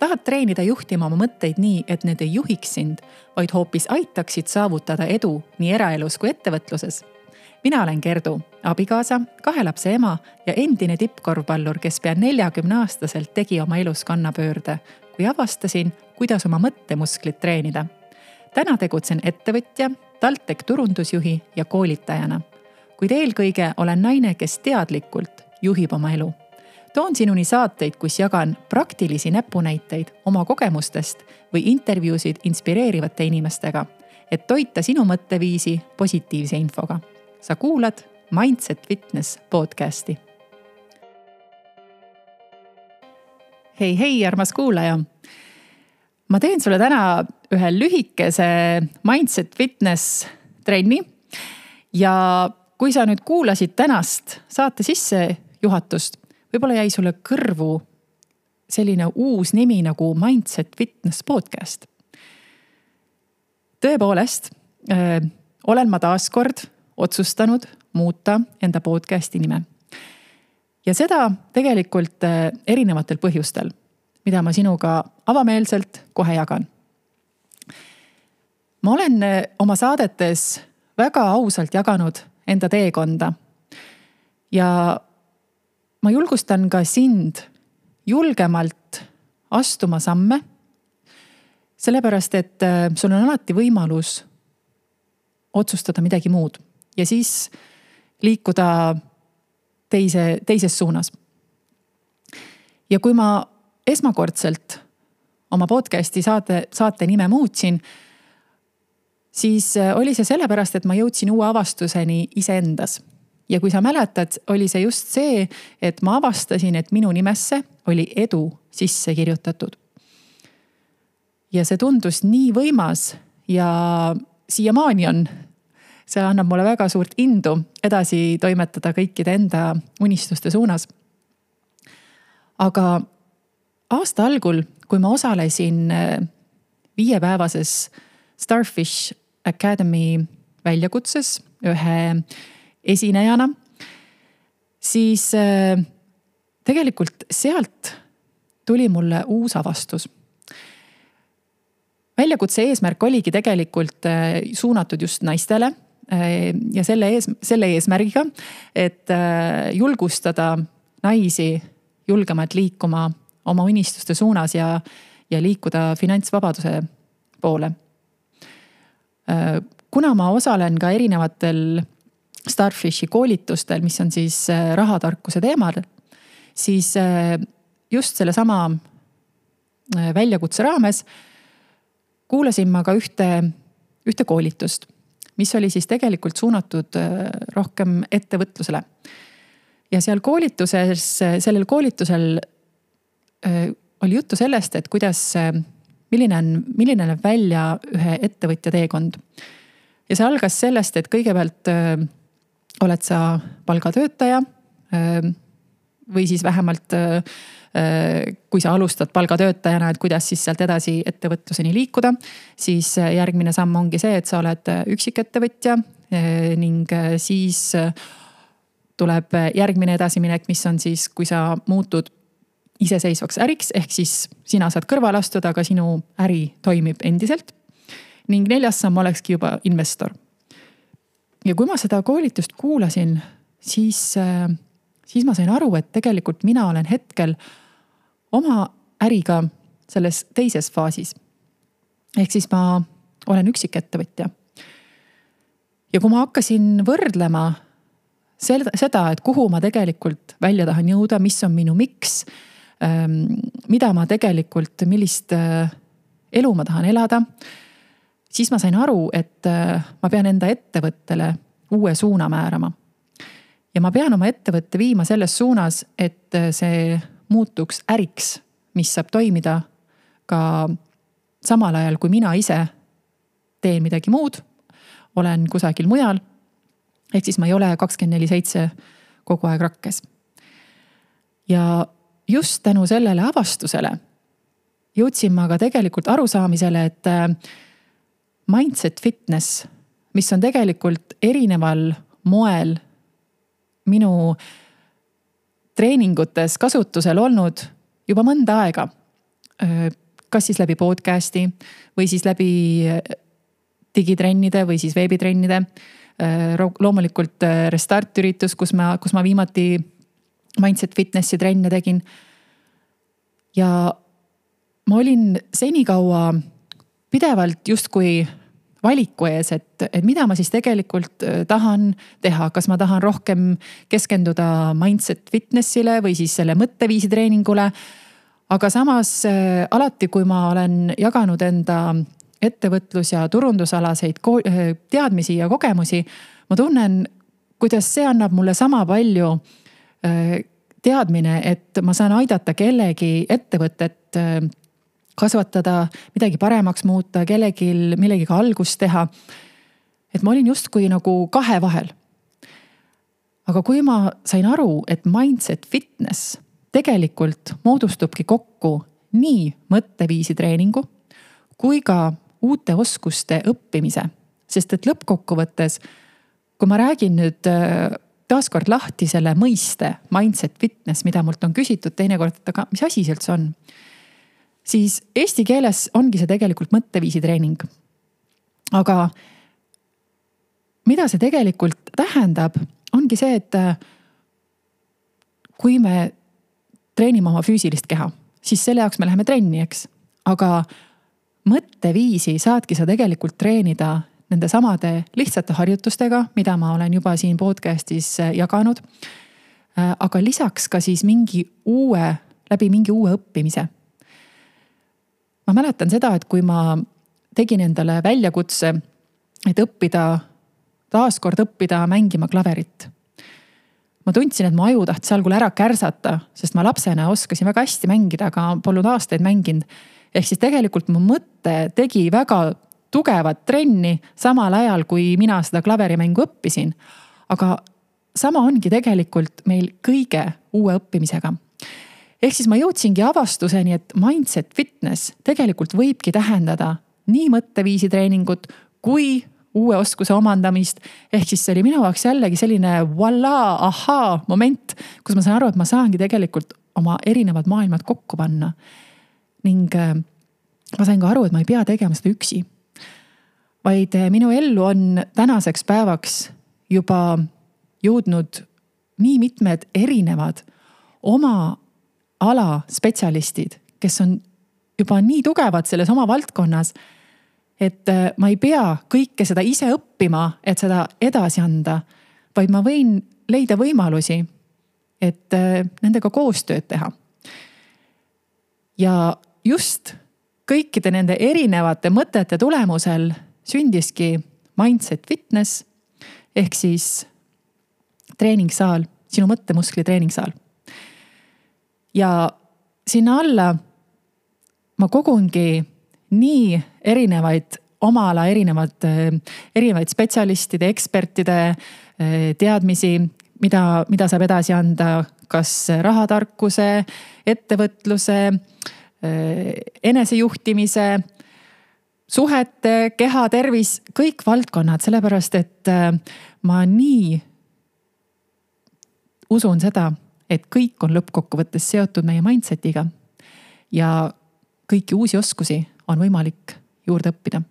tahad treenida juhtima oma mõtteid nii, et need ei juhiks sind, vaid hoopis aitaksid saavutada edu nii eraelus kui ettevõtluses? Mina olen Gerdu, abikaasa, 2 lapse ema ja endine tippkorvpallur, kes pea 40-aastaselt tegi oma elus kannapöörde, kui avastasin, kuidas oma mõttemusklit treenida. Täna tegutsen ettevõtja, TalTech turundusjuhi ja koolitajana. Kuid eelkõige olen naine, kes teadlikult juhib oma elu. Toon sinuni saateid, kus jagan praktilisi näpunäiteid oma kogemustest või intervjuusid inspireerivate inimestega, et toita sinu mõtteviisi positiivse infoga. Sa kuulad Mindset Fitness podcasti. Hei, armas kuulaja! Ma teen sulle täna ühe lühikese Mindset Fitness trenni ja kui sa nüüd kuulasid tänast saate sisse juhatust, võib-olla jäi sulle kõrvu selline uus nimi nagu Mindset Fitness podcast. Tõepoolest, olen ma taaskord otsustanud muuta enda podcasti nime. Ja seda tegelikult erinevatel põhjustel, mida ma sinuga avameelselt kohe jagan. Ma olen oma saadetes väga ausalt jaganud enda teekonda ja ma julgustan ka sind julgemalt astuma samme, sellepärast et sul on alati võimalus otsustada midagi muud ja siis liikuda teises suunas. Ja kui ma esmakordselt oma podcasti saate nime muutsin, siis oli see sellepärast, et ma jõudsin uue avastuseni iseendas. Ja kui sa mäletad, oli see just see, et ma avastasin, et minu nimesse oli edu sisse kirjutatud. Ja see tundus nii võimas ja siiamaani on. See annab mulle väga suurt indu edasi toimetada kõikide enda unistuste suunas. Aga aasta algul, kui ma osalesin 5-päevases Starfish Academy väljakutses ühe esinejana, siis tegelikult sealt tuli mulle uus avastus. Väljakutse eesmärk oligi tegelikult suunatud just naistele ja selle eesmärgiga, et julgustada naisi julgemalt liikuma oma unistuste suunas ja liikuda finantsvabaduse poole. Kuna ma osalen ka erinevatel Starfishi koolitustel, mis on siis rahatarkuse teemal, siis just selle sama väljakutse raames kuulasin ma ka ühte koolitust, mis oli siis tegelikult suunatud rohkem ettevõtlusele. Ja sellel koolitusel oli juttu sellest, et milline näeb välja ühe ettevõtja teekond. Ja see algas sellest, et kõigepealt oled sa palgatöötaja või siis vähemalt kui sa alustad palgatöötajana, et kuidas siis sealt edasi ettevõtluseni liikuda, siis järgmine samm ongi see, et sa oled üksikettevõtja ning siis tuleb järgmine edasiminek, mis on siis, kui sa muutud iseseisvaks äriks, ehk siis sina saad kõrval astuda, aga sinu äri toimib endiselt. Ning 4. samm olekski juba investor. Ja kui ma seda koolitust kuulasin, siis ma sain aru, et tegelikult mina olen hetkel oma äriga selles teises faasis. Ehk siis ma olen üksikettevõtja. Ja kui ma hakkasin võrdlema seda, et kuhu ma tegelikult välja tahan jõuda, mis on minu miks, mida ma tegelikult, millist elu ma tahan elada, siis ma sain aru, et ma pean enda ettevõttele uue suuna määrama. Ja ma pean oma ettevõtte viima selles suunas, et see muutuks äriks, mis saab toimida ka samal ajal, kui mina ise teen midagi muud, olen kusagil mujal, ehk siis ma ei ole 24/7 kogu aeg rakkes. Ja just tänu sellele avastusele jõudsin ma ka tegelikult arusaamisele, et Mindset Fitness, mis on tegelikult erineval moel minu treeningutes kasutusel olnud juba mõnda aega, kas siis läbi podcasti või siis läbi digitrennide või siis veebitrennide. Loomulikult Restart üritus, kus ma viimati Mindset Fitnessi trenne tegin. Ja ma olin senikaua pidevalt justkui valiku ees, et mida ma siis tegelikult tahan teha. Kas ma tahan rohkem keskenduda Mindset Fitnessile või siis selle mõtteviisi treeningule. Aga samas alati, kui ma olen jaganud enda ettevõtlus- ja turundusalaseid teadmisi ja kogemusi, ma tunnen, kuidas see annab mulle sama palju teadmine, et ma saan aidata kellegi ettevõtet kasvatada, midagi paremaks muuta, kellegil millegiga algust teha. Et ma olin justkui nagu kahe vahel. Aga kui ma sain aru, et Mindset Fitness tegelikult moodustubki kokku nii mõtteviisi treeningu kui ka uute oskuste õppimise. Sest et lõppkokkuvõttes, kui ma räägin nüüd taaskord lahti selle mõiste Mindset Fitness, mida mult on küsitud teinekord, et aga mis asi see üldse on? Siis eesti keeles ongi see tegelikult mõtteviisi treening. Aga mida see tegelikult tähendab, ongi see, et kui me treenime oma füüsilist keha, siis selle jaoks me läheme trenni, eks. Aga mõtteviisi saadki sa tegelikult treenida nende samade lihtsate harjutustega, mida ma olen juba siin podcastis jaganud. Aga lisaks ka siis läbi mingi uue õppimise. Ma mäletan seda, et kui ma tegin endale väljakutse, et taaskord õppida mängima klaverit. Ma tundsin, et mu aju tahtis algul ära kärsata, sest ma lapsena oskasin väga hästi mängida, aga polnud aastaid mänginud. Ehk siis tegelikult mu mõte tegi väga tugevat trenni samal ajal, kui mina seda klaverimängu õppisin. Aga sama ongi tegelikult meil kõige uue õppimisega. Ehk siis ma jõudsingi avastuseni, et Mindset Fitness tegelikult võibki tähendada nii mõtteviisi treeningut kui uue oskuse omandamist. Ehk siis see oli minu jaoks jällegi selline ahaa moment, kus ma saan aru, et ma saangi tegelikult oma erinevad maailmad kokku panna. Ning ma sain ka aru, et ma ei pea tegema seda üksi. Vaid minu ellu on tänaseks päevaks juba jõudnud nii mitmed erinevad oma ala spetsialistid, kes on juba nii tugevad selles oma valdkonnas, et ma ei pea kõike seda ise õppima, et seda edasi anda, vaid ma võin leida võimalusi, et nendega koostööd teha. Ja just kõikide nende erinevate mõtete tulemusel sündiski Mindset Fitness ehk siis treeningsaal, sinu mõttemuskli treeningsaal. Ja sinna alla ma kogungi nii erinevaid oma ala erinevaid spetsialistide, ekspertide teadmisi, mida saab edasi anda, kas rahatarkuse, ettevõtluse, enesejuhtimise, suhete, keha, tervis, kõik valdkonnad, sellepärast et ma nii usun seda, et kõik on lõppkokkuvõttes seotud meie mindsetiga ja kõiki uusi oskusi on võimalik juurde õppida.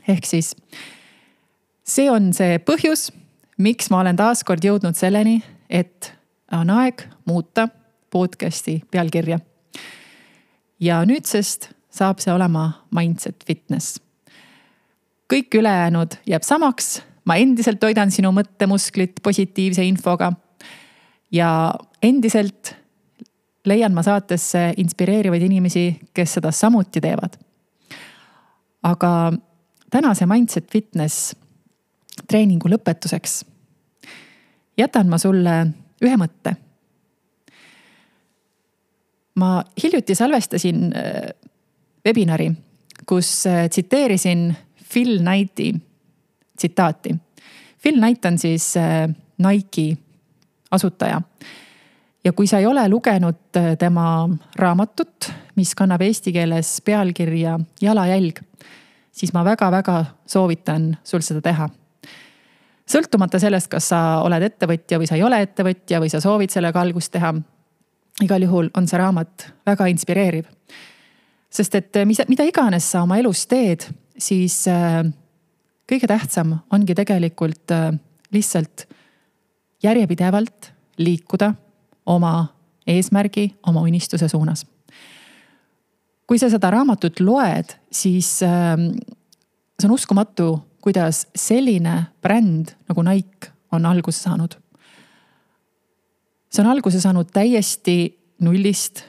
Ehk siis see on see põhjus, miks ma olen taaskord jõudnud selleni, et on aeg muuta podcasti pealkirja. Ja nüüdsest saab see olema Mindset Fitness. Kõik ülejäänud jääb samaks, ma endiselt toidan sinu mõttemusklit positiivse infoga ja endiselt leian ma saatesse inspireerivaid inimesi, kes seda samuti teevad. Aga tänase Mindset Fitness treeningu lõpetuseks jätan ma sulle ühe mõtte. Ma hiljuti salvestasin webinari, kus tsiteerisin Phil Knighti tsitaati. Phil Knight on siis Nike asutaja. Ja kui sa ei ole lugenud tema raamatut, mis kannab eesti keeles pealkirja Jalajälg, siis ma väga-väga soovitan sul seda teha. Sõltumata sellest, kas sa oled ettevõtja või sa ei ole ettevõtja või sa soovid sellega algust teha, igal juhul on see raamat väga inspireeriv. Sest et mida iganes sa oma elus teed, siis kõige tähtsam ongi tegelikult lihtsalt järjepidevalt liikuda oma eesmärgi, oma unistuse suunas. Kui sa seda raamatut loed, siis see on uskumatu, kuidas selline bränd nagu Nike on alguse saanud. See on alguse saanud täiesti nullist,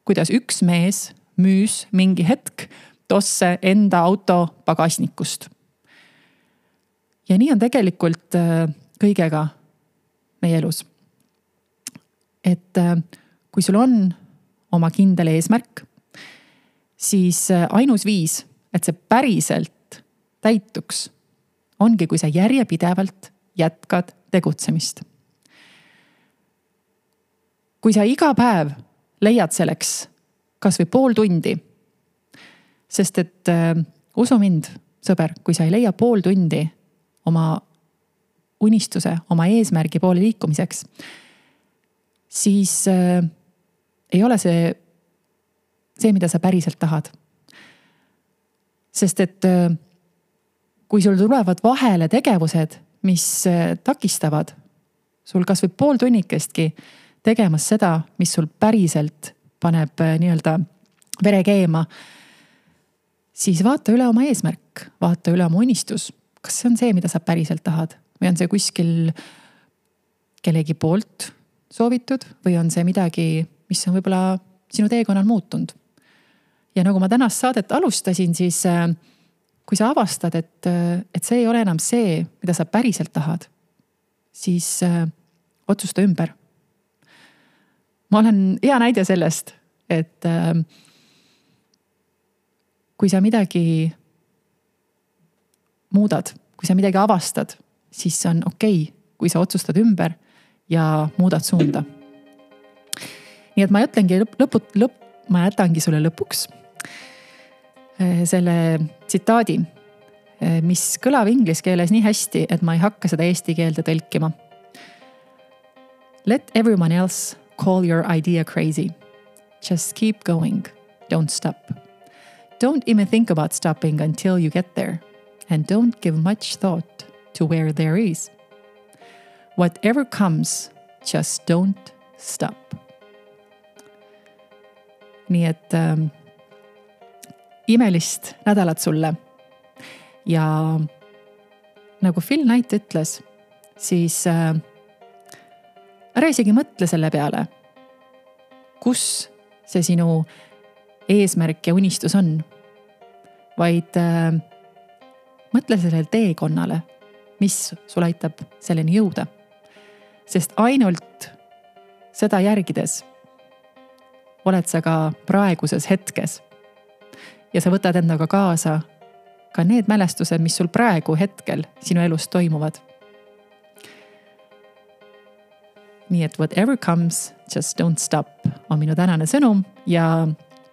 kuidas üks mees müüs mingi hetk tosse enda auto pagasnikust. Ja nii on tegelikult kõigega meie elus. Et kui sul on oma kindel eesmärk, siis ainus viis, et see päriselt täituks, ongi, kui sa järjepidevalt jätkad tegutsemist. Kui sa iga päev leiad selleks kas või pool tundi, sest et usu mind, sõber, kui sa ei leia pool tundi oma unistuse, oma eesmärgi poole liikumiseks, siis ei ole see, mida sa päriselt tahad. Sest et kui sul tulevad vahele tegevused, mis takistavad sul kas või pool tunnikestki tegemas seda, mis sul päriselt paneb nii-öelda vere keema, siis vaata üle oma eesmärk, vaata üle oma unistus. Kas see on see, mida sa päriselt tahad? Või on see kuskil kellegi poolt soovitud? Või on see midagi, mis on võib-olla sinu teekonnal muutunud? Ja nagu ma tänast saadet alustasin, siis kui sa avastad, et see ei ole enam see, mida sa päriselt tahad, siis otsusta ümber. Ma olen hea näide sellest, et kui sa midagi muudad, kui sa midagi avastad, siis on okei, kui sa otsustad ümber ja muudad suunda. Nii et ma jätangi sulle lõpuks selle tsitaadi, mis kõlab inglise keeles nii hästi, et ma ei hakka seda eesti keelde tõlkima. Let everyone else call your idea crazy. Just keep going. Don't stop. Don't even think about stopping until you get there. And don't give much thought to where there is. Whatever comes, just don't stop. Nii et imelist nädalat sulle. Ja nagu Phil Knight ütles, siis ära isegi mõtle selle peale, kus see sinu eesmärk ja unistus on, vaid mõtle sellele teekonnale, mis sul aitab selleni jõuda. Sest ainult seda järgides oled sa ka praeguses hetkes ja sa võtad endaga kaasa ka need mälestused, mis sul praegu hetkel sinu elus toimuvad. Nii et whatever comes, just don't stop on minu tänane sõnum ja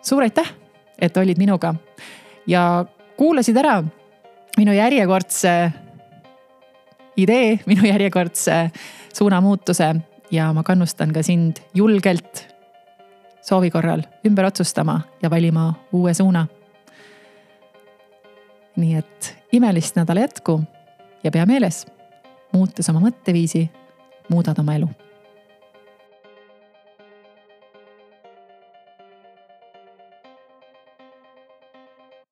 suur aitäh, et olid minuga ja kuulasid ära minu järjekordse idee, minu järjekordse suunamuutuse ja ma kannustan ka sind julgelt soovi korral ümber otsustama ja valima uue suuna. Nii et imelist nädala jätku ja pea meeles, muutes oma mõtteviisi, muudad oma elu.